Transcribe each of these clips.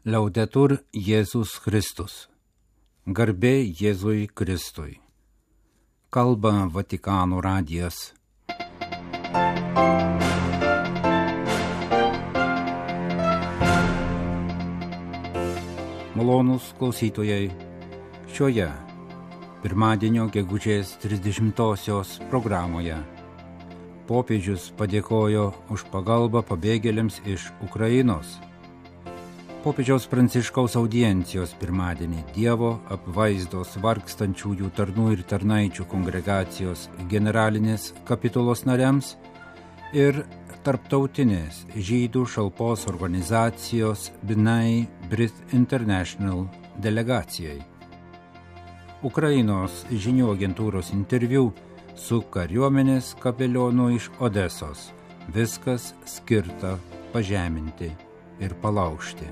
Laudetur Jėzus Kristus. Garbė Jėzui Kristui. Kalba Vatikano radijas. Malonūs klausytojai, šioje pirmadienio gegužės 30-osios programoje popiežius padėkojo už pagalbą pabėgėliams iš Ukrainos. Popiežiaus Pranciškaus audiencijos pirmadienį Dievo apvaizdos vargstančiųjų tarnų ir tarnaičių kongregacijos generalinės kapitulos nariams ir tarptautinės žydų šalpos organizacijos B'nai B'rith International delegacijai. Ukrainos žinių agentūros interviu su kariuomenės kapelionu iš Odesos. Viskas skirta pažeminti ir palaužti.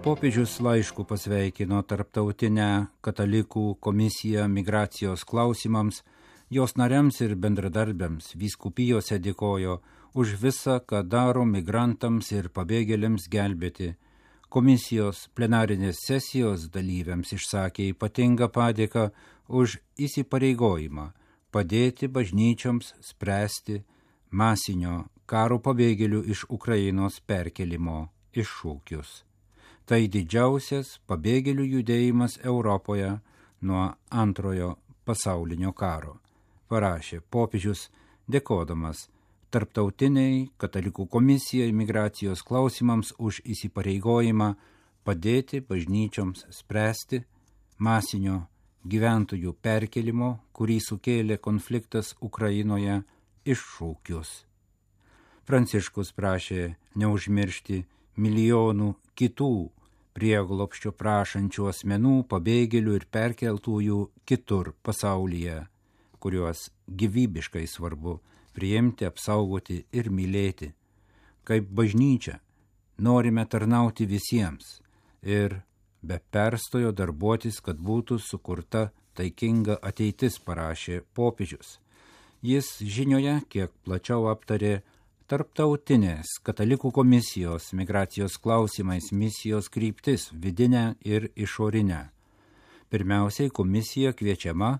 Popiežius laišku pasveikino Tarptautinę katalikų komisiją migracijos klausimams, jos nariams ir bendradarbiams vyskupijose dėkojo už visą, ką daro migrantams ir pabėgėliams gelbėti. Komisijos plenarinės sesijos dalyviams išsakė ypatingą padėką už įsipareigojimą padėti bažnyčioms spręsti masinio karo pabėgėlių iš Ukrainos perkelimo iššūkius. Tai didžiausias pabėgėlių judėjimas Europoje nuo Antrojo pasaulinio karo, parašė popiežius, dėkodamas Tarptautiniai katalikų komisijai migracijos klausimams už įsipareigojimą padėti bažnyčioms spręsti masinio gyventojų perkelimo, kurį sukėlė konfliktas Ukrainoje, iššūkius. Pranciškus prašė neužmiršti milijonų kitų prieglobsčio prašančių asmenų, pabėgėlių ir perkeltųjų kitur pasaulyje, kuriuos gyvybiškai svarbu priimti, apsaugoti ir mylėti. Kaip bažnyčia norime tarnauti visiems ir be perstojo darbuotis, kad būtų sukurta taikinga ateitis, parašė popiežius. Jis žinioje kiek plačiau aptarė Tarptautinės katalikų komisijos migracijos klausimais misijos kryptis vidinę ir išorinę. Pirmiausiai komisija kviečiama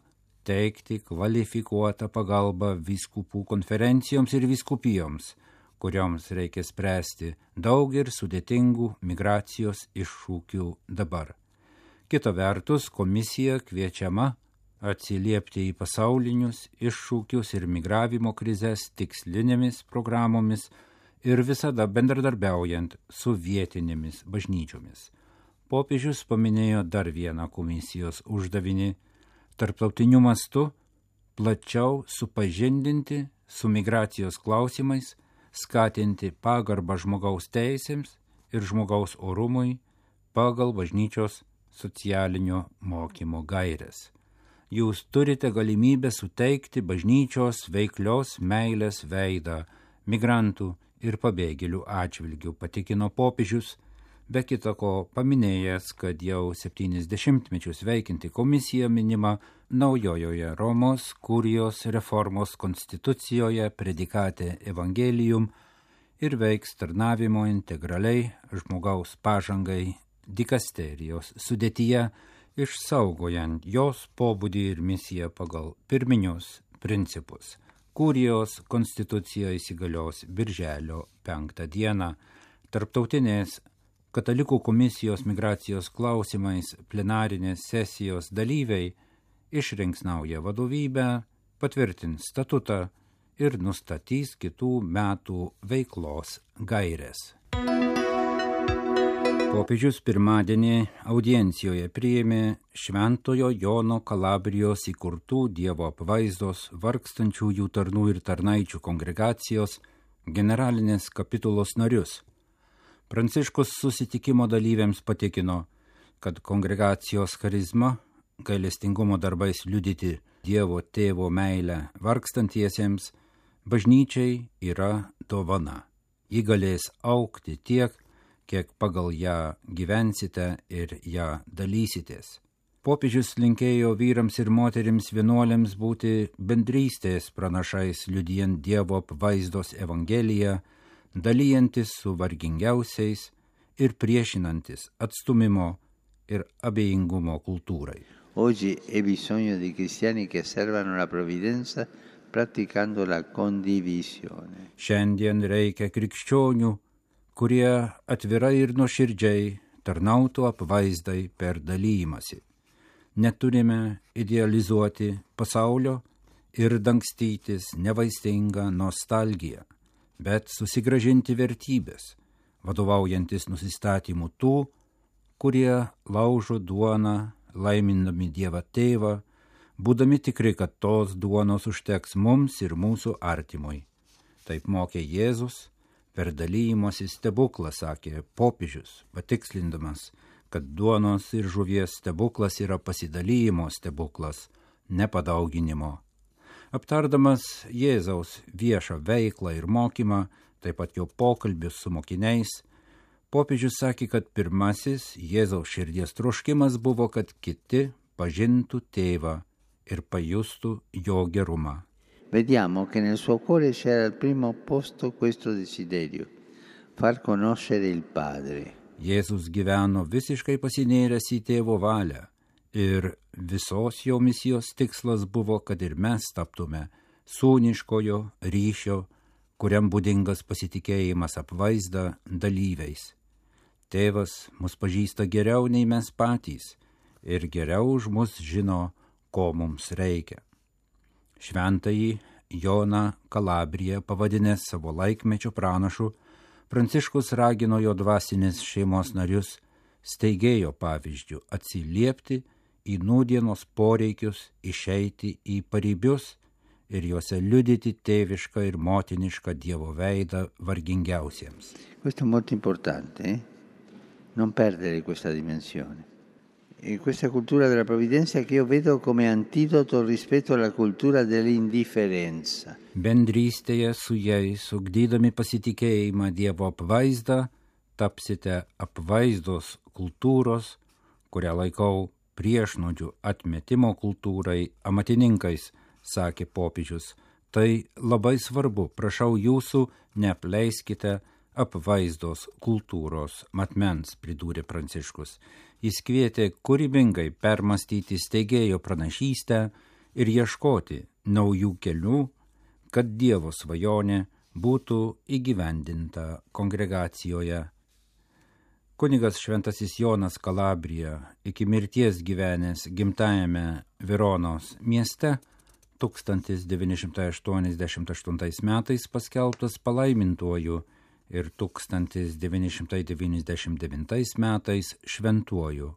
teikti kvalifikuotą pagalbą vyskupų konferencijoms ir vyskupijoms, kurioms reikia spręsti daug ir sudėtingų migracijos iššūkių dabar. Kita vertus, komisija kviečiama atsiliepti į pasaulinius iššūkius ir migravimo krizes tikslinėmis programomis ir visada bendradarbiaujant su vietinėmis bažnyčiomis. Popiežius paminėjo dar vieną komisijos uždavinį – tarptautiniu mastu plačiau supažindinti su migracijos klausimais, skatinti pagarbą žmogaus teisėms ir žmogaus orumui pagal bažnyčios socialinio mokymo gaires. Jūs turite galimybę suteikti bažnyčios veiklios meilės veidą migrantų ir pabėgėlių atžvilgių, patikino popiežius, be kita ko paminėjęs, kad jau 70 mečius veikianti komisija minima naujojoje Romos kurijos reformos konstitucijoje predikate Evangelium ir veiks tarnavimo integraliai žmogaus pažangai dikasterijos sudėtyje, išsaugojant jos pobūdį ir misiją pagal pirminius principus. Kurijos konstitucija įsigalios birželio 5 dieną. Tarptautinės katalikų komisijos migracijos klausimais plenarinės sesijos dalyviai išrinks naują vadovybę, patvirtins statutą ir nustatys kitų metų veiklos gaires. Popiežius pirmadienį audiencijoje priėmė Šventojo Jono Kalabrijos įkurtų Dievo apvaizdos vargstančiųjų tarnų ir tarnaičių kongregacijos generalinės kapitulos narius. Pranciškus susitikimo dalyviams patikino, kad kongregacijos charizma, gailestingumo darbais liudyti Dievo tėvo meilę vargstantiesiems, bažnyčiai yra dovana. Ji galės augti tiek, kiek pagal ją gyvensite ir ją dalysitės. Popiežius linkėjo vyrams ir moterims vienuoliams būti bendrystės pranašais, liudijant Dievo apvaizdos evangeliją, dalyjantis su vargingiausiais ir priešinantis atstumimo ir abejingumo kultūrai. Oggi è bisogno di cristiani che servano la provvidenza praticando la condivisione. Šiandien reikia krikščionių, kurie atvirai ir nuoširdžiai tarnautų apvaizdai per dalymasi. Neturime idealizuoti pasaulio ir dangstytis nevaistingą nostalgiją, bet susigrąžinti vertybės, vadovaujantis nusistatymu tų, kurie laužo duoną, laimindami Dievą Tėvą, būdami tikri, kad tos duonos užteks mums ir mūsų artimui. Taip mokė Jėzus, per dalymosi stebuklą, sakė popiežius, patikslindamas, kad duonos ir žuvies stebuklas yra pasidalymo stebuklas, nepadauginimo. Aptardamas Jėzaus viešą veiklą ir mokymą, taip pat jo pokalbius su mokiniais, popiežius sakė, kad pirmasis Jėzaus širdies troškimas buvo, kad kiti pažintų Tėvą ir pajustų jo gerumą. Vediamo che nel suo cuore c'era al primo posto questo desiderio, far conoscere il Padre. Jėzus gyveno visiškai pasinėręs į Tėvo valią ir visos jo misijos tikslas buvo, kad ir mes taptume sūniškojo ryšio, kuriam būdingas pasitikėjimas apvaizda dalyviais. Tėvas mus pažįsta geriau nei mes patys ir geriau už mus žino, ko mums reikia. Šventąjį Joną Kalabriją pavadinęs savo laikmečio pranašu, Pranciškus ragino jo dvasinės šeimos narius steigėjo pavyzdžių atsiliepti į nūdienos poreikius, išeiti į paribius ir juose liudyti tėvišką ir motinišką Dievo veidą vargingiausiems. Questo è molto importante, non perdere questa dimensione. E questa cultura della provvidenza che io vedo come antidoto rispetto alla cultura dell'indifferenza. Bendrystėje su jais, ugdydami pasitikėjimą Dievo apvaizdą, tapsite apvaizdos kultūros, kurią laikau priešnuodžių atmetimo kultūrai, amatininkais, sakė popiežius. Tai labai svarbu, prašau jūsų, neapleiskite apvaizdos kultūros matmens, pridūrė Pranciškus. Jis kvietė kūrybingai permastyti steigėjo pranašystę ir ieškoti naujų kelių, kad Dievo svajonė būtų įgyvendinta kongregacijoje. Kunigas Šventasis Jonas Kalabrija, iki mirties gyvenęs gimtajame Veronos mieste, 1988 metais paskelbtas palaimintuoju ir 1999 metais šventuoju.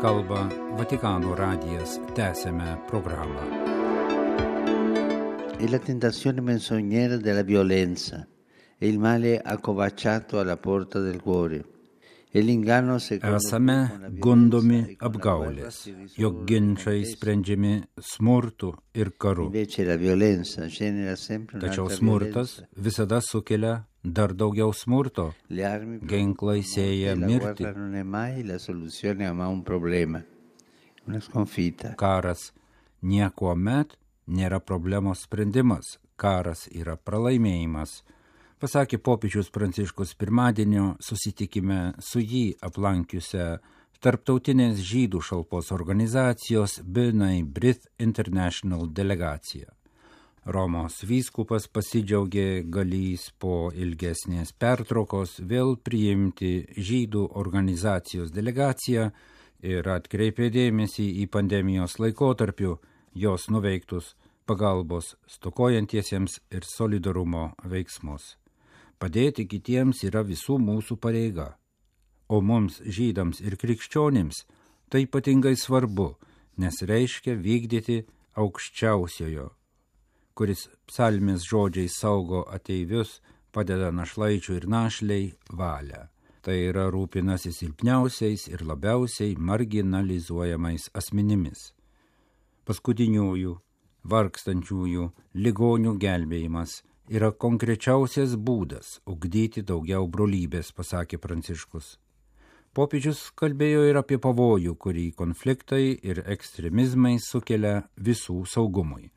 Kalba Vatikano radijas, tęsiame programą. È la tentazione menzognera della violenza, è il male accovacciato alla porta del cuore. Esame gundomi apgaulės, jog ginčai sprendžiami smurtu ir karu. Tačiau smurtas visada sukelia dar daugiau smurto. Ginklai sėja mirtį. Karas niekuomet nėra problemos sprendimas. Karas yra pralaimėjimas, pasakė popiežius Pranciškus pirmadienio susitikime su jį aplankiusią Tarptautinės žydų šalpos organizacijos B'nai B'rith International delegaciją. Romos vyskupas pasidžiaugė galįs po ilgesnės pertraukos vėl priimti žydų organizacijos delegaciją ir atkreipė dėmesį į pandemijos laikotarpiu jos nuveiktus pagalbos stokojantiesiems ir solidarumo veiksmus. Padėti kitiems yra visų mūsų pareiga, o mums, žydams ir krikščionims, tai ypatingai svarbu, nes reiškia vykdyti aukščiausiojo, kuris psalmės žodžiais saugo ateivius, padeda našlaičių ir našliai valią. Tai yra rūpinasi silpniausiais ir labiausiai marginalizuojamais asmenimis. Paskutiniųjų, vargstančiųjų, ligonių gelbėjimas yra konkrečiausias būdas ugdyti daugiau brolybės, pasakė Pranciškus. Popiežius kalbėjo ir apie pavojų, kurį konfliktai ir ekstremizmai sukelia visų saugumui.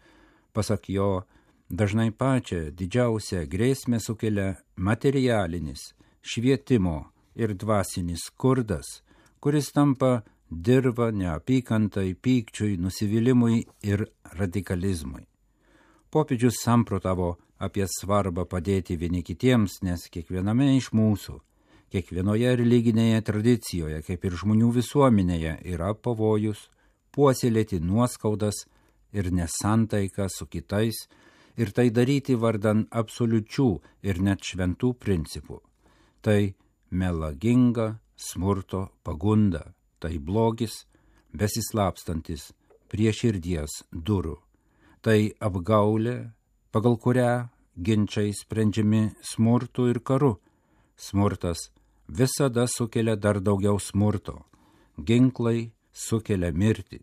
Pasak jo, dažnai pačią didžiausią grėsmę sukelia materialinis, švietimo ir dvasinis skurdas, kuris tampa dirva neapykantai, pykčiui, nusivylimui ir radikalizmui. Popiežius samprotavo apie svarbą padėti vieni kitiems, nes kiekviename iš mūsų, kiekvienoje religinėje tradicijoje, kaip ir žmonių visuomenėje, yra pavojus puoselėti nuoskaudas ir nesantaiką su kitais ir tai daryti vardan absoliučių ir net šventų principų. Tai melaginga smurto pagunda, tai blogis besislapstantis prie širdies durų, tai apgaulė, pagal kurią ginčiai sprendžiami smurtu ir karu. Smurtas visada sukelia dar daugiau smurto, ginklai sukelia mirtį,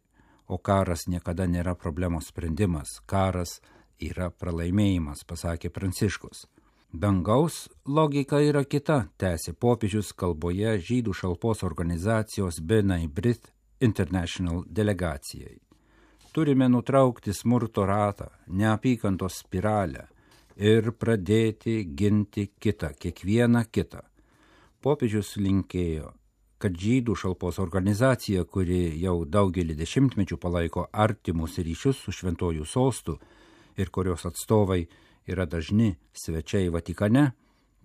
o karas niekada nėra problemos sprendimas, karas yra pralaimėjimas, pasakė Pranciškus. Dangaus logika yra kita, tęsė popiežius kalboje žydų šalpos organizacijos B'nai B'rith International delegacijai. Turime nutraukti smurto ratą, neapykantos spiralę ir pradėti ginti kitą, kiekvieną kitą. Popiežius linkėjo, kad žydų šalpos organizacija, kuri jau daugelį dešimtmečių palaiko artimus ryšius su šventuoju sostu ir kurios atstovai yra dažni svečiai Vatikane,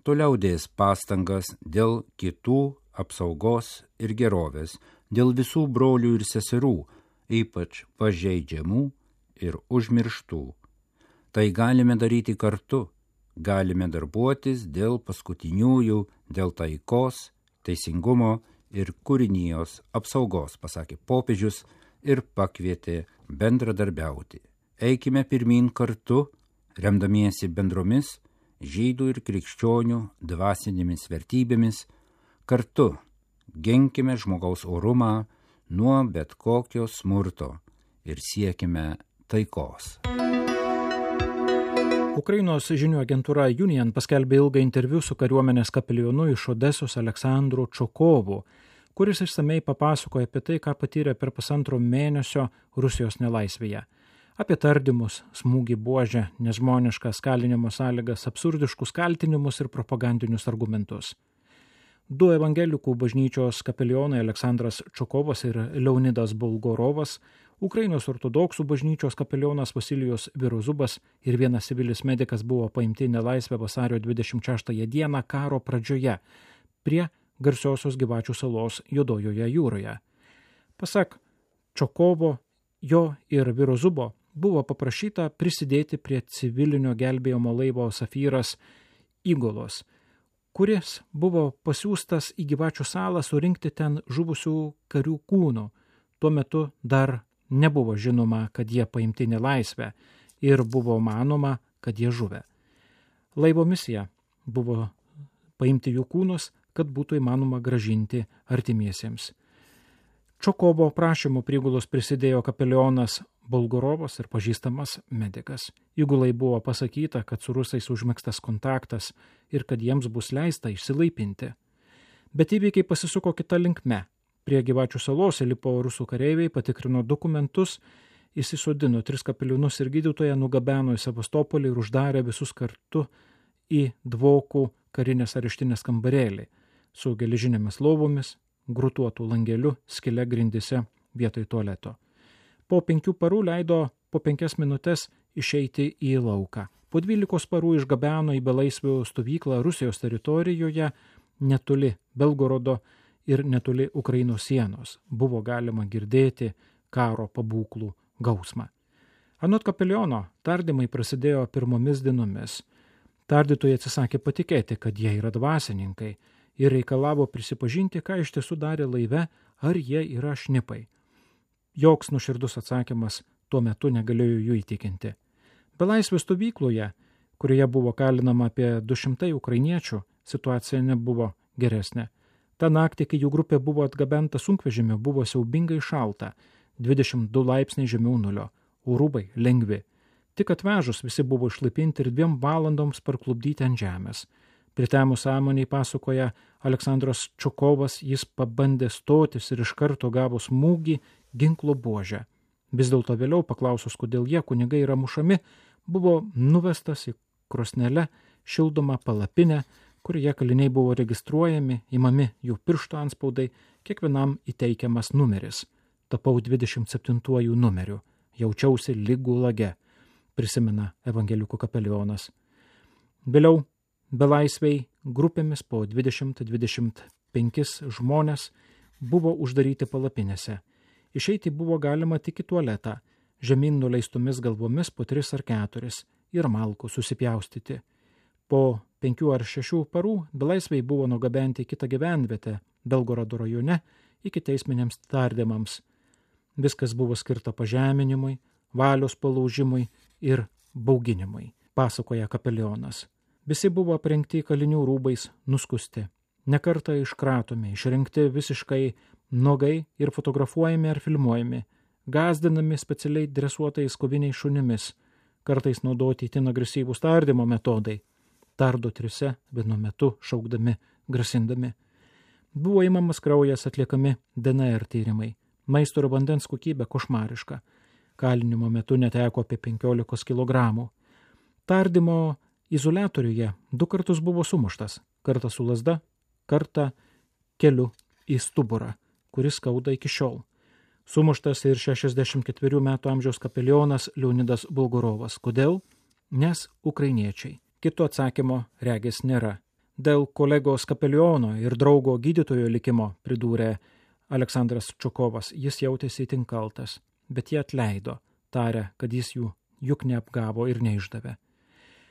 toliau dės pastangas dėl kitų apsaugos ir gerovės, dėl visų brolių ir seserų, ypač pažeidžiamų ir užmirštų. Tai galime daryti kartu, galime darbuotis dėl paskutiniųjų, dėl taikos, teisingumo ir kūrinijos apsaugos, pasakė popiežius ir pakvietė bendradarbiauti. Eikime pirmyn kartu, remdamiesi bendromis žydų ir krikščionių dvasinėmis vertybėmis, kartu ginkime žmogaus orumą nuo bet kokio smurto ir siekime taikos. Ukrainos žinių agentūra Union paskelbė ilgą interviu su kariuomenės kapelionu iš Odesos Aleksandru Čokovu, kuris išsamei papasakojo apie tai, ką patyrė per 1,5 mėnesio Rusijos nelaisvėje. Apie tardymus, smūgį buožę, nežmoniškas kalinimo sąlygas, absurdiškus kaltinimus ir propagandinius argumentus. 2 evangelikų bažnyčios kapelionai Aleksandras Čokovas ir Leonidas Bolgorovas, Ukrainos ortodoksų bažnyčios kapelionas Vasilijus Virozubas ir vienas civilis medikas buvo paimti nelaisvę vasario 26 dieną karo pradžioje prie garsiosios Gyvačių salos Juodojoje jūroje. Pasak Čokovo, jo ir Virozubo buvo paprašyta prisidėti prie civilinio gelbėjimo laivo Safyras įgulos, kuris buvo pasiųstas į Gyvačių salą surinkti ten žuvusių karių kūnų. Tuo metu dar nebuvo žinoma, kad jie paimti nelaisvę ir buvo manoma, kad jie žuvę. Laivo misija buvo paimti jų kūnus, kad būtų įmanoma gražinti artimiesiems. Čokovo prašymu prigulos prisidėjo kapelionas Bolgorovas ir pažįstamas medikas. Įgulai buvo pasakyta, kad su rusais užmegztas kontaktas ir kad jiems bus leista išsilaipinti. Bet įvykiai pasisuko kita linkme. Prie Gyvačių salos įlipo rusų kareiviai, patikrino dokumentus, įsisodino 3 kapelionus ir gydytoją, nugabeno į Sevastopolį ir uždarė visus kartu į Dvokų karinės areštinės kambarėlį su geležinėmis lovomis, grutuotų langeliu, skile grindise vietoj tualeto. Po 5 parų leido po 5 minutės išeiti į lauką. Po 12 parų išgabeno į belaisvių stovyklą Rusijos teritorijoje netoli Belgorodo ir netoli Ukrainos sienos. Buvo galima girdėti karo pabūklų gausmą. Anot kapeliono, tardymai prasidėjo pirmomis dienomis. Tardytojai atsisakė patikėti, kad jie yra dvasininkai ir reikalavo prisipažinti, ką iš tiesų darė laive, ar jie yra šnipai. Joks nuoširdus atsakymas tuo metu negalėjo jų įtikinti. Belaisvių stovykloje, kurioje buvo kalinama apie 200 ukrainiečių, situacija nebuvo geresnė. Ta naktį, kai jų grupė buvo atgabenta sunkvežimiu, buvo siaubingai šalta, 22 laipsniai žemiau nulio, o rūbai lengvi. Tik atvežus visi buvo išlaipinti ir 2 valandoms parklupdyti ant žemės. Pritemus sąmoniai pasakoja Aleksandras Čokovas, jis pabandė stotis ir iš karto gavo smūgį ginklo buožę. Vis dėlto vėliau, paklausus, kodėl jie, kunigai, yra mušami, buvo nuvestas į krosnelę šildomą palapinę, kurioje kaliniai buvo registruojami, imami jų piršto anspaudai, kiekvienam įteikiamas numeris. Tapau 27 numeriu, jaučiausi lyg gulage, prisimena evangelikų kapelionas. Vėliau belaisviai grupėmis po 20-25 žmonės buvo uždaryti palapinėse. Išeiti buvo galima tik į tualetą, žemyn nuleistomis galvomis po 3 ar 4 ir malkų susipjaustyti. Po 5 ar 6 parų belaisviai buvo nugabenti į kitą gyvenvietę Belgorado rajone iki teisminiams tardymams. Viskas buvo skirta pažeminimui, valios palaužimui ir bauginimui, pasakoja kapelionas. Visi buvo aprengti kalinių rūbais, nuskusti. Nekartą iškratomi, išrinkti visiškai nuogai ir fotografuojami ar filmuojami, gąsdinami specialiai dresuotais koviniais šunimis, kartais naudoti itin agresyvūs tardymo metodai, tardo 3 vienu metu šaukdami, grasindami. Buvo imamas kraujas, atliekami DNR tyrimai, maisto ir vandens kokybė košmariška, kalinimo metu neteko apie 15 kg. Tardymo izoliatoriuje 2 kartus buvo sumuštas, kartą su lazda, kartą keliu į stuburą, kuris skauda iki šiol. Sumuštas ir 64 metų amžiaus kapelionas Leonidas Bulgarovas. Kodėl? Nes ukrainiečiai. Kito atsakymo regis nėra. Dėl kolegos kapeliono ir draugo gydytojo likimo, pridūrė Aleksandras Čokovas, jis jautėsi itin kaltas, bet jie atleido, tarė, kad jis jų juk neapgavo ir neišdavė.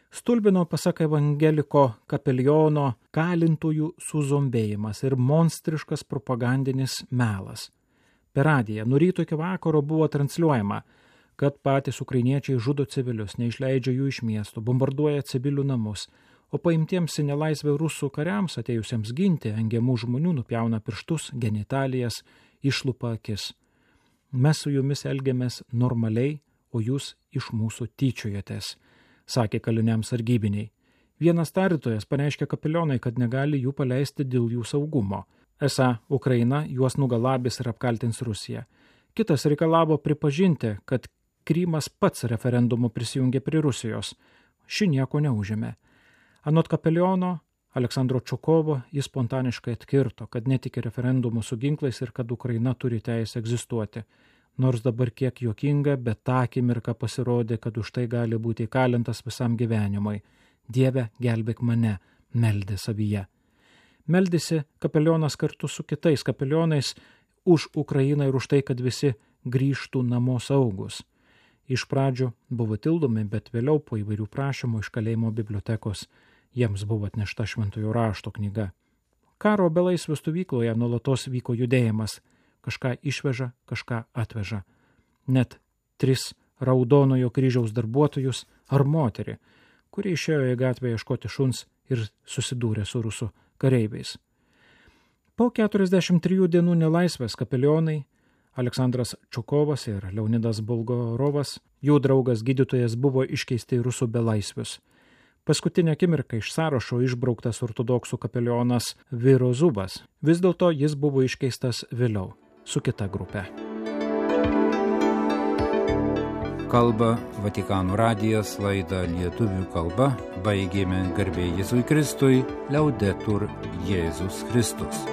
Stulbino, pasak evangeliko kapeliono, kalintųjų suzombėjimas ir monstriškas propagandinis melas. Per radiją nuo ryto iki vakaro buvo transliuojama, kad patys ukrainiečiai žudo civilius, neišleidžia jų iš miesto, bombarduoja civilių namus, o paimtiems į nelaisvę rusų kariams atėjusiems ginti engiamų žmonių nupjauna pirštus, genitalijas, išlupa akis. Mes su jumis elgiamės normaliai, o jūs iš mūsų tyčiojatės, sakė kaliniams sargybiniai. Vienas tardytojas pareiškė kapelionai, kad negali jų paleisti dėl jų saugumo. Esą Ukraina juos nugalabys ir apkaltins Rusiją. Kitas reikalavo pripažinti, kad Krymas pats referendumu prisijungė prie Rusijos. Ši nieko neužėmė. Anot kapeliono Aleksandro Čokovo jis spontaniškai atkirto, kad netiki referendumu su ginklais ir kad Ukraina turi teisę egzistuoti. Nors dabar kiek juokinga, bet tą akimirką pasirodė, kad už tai gali būti įkalintas visam gyvenimui. Dieve, gelbėk mane, meldė savyje. Meldėsi kapelionas kartu su kitais kapelionais už Ukrainą ir už tai, kad visi grįžtų namo saugus. Iš pradžių buvo tildomi, bet vėliau po įvairių prašymų iš kalėjimo bibliotekos jiems buvo atnešta šventojo rašto knyga. Karo belaisvių stovykloje nuolatos vyko judėjimas. Kažką išveža, kažką atveža. Net 3 Raudonojo kryžiaus darbuotojus ar moterį, kurie išėjo į gatvę ieškoti šuns ir susidūrė su rusų kareiviais. Po 43 dienų nelaisvės kapelionai Aleksandras Čokovas ir Leonidas Bulgarovas, jų draugas gydytojas, buvo iškeisti į rusų belaisvius. Paskutinę akimirką iš sąrašo išbrauktas ortodoksų kapelionas Vyro Zubas. Vis dėlto jis buvo iškeistas vėliau su kita grupė. Kalba Vatikano radijas, laidą lietuvių kalba baigėme garbė Jėzui Kristui, Liaudetur Jėzus Kristus.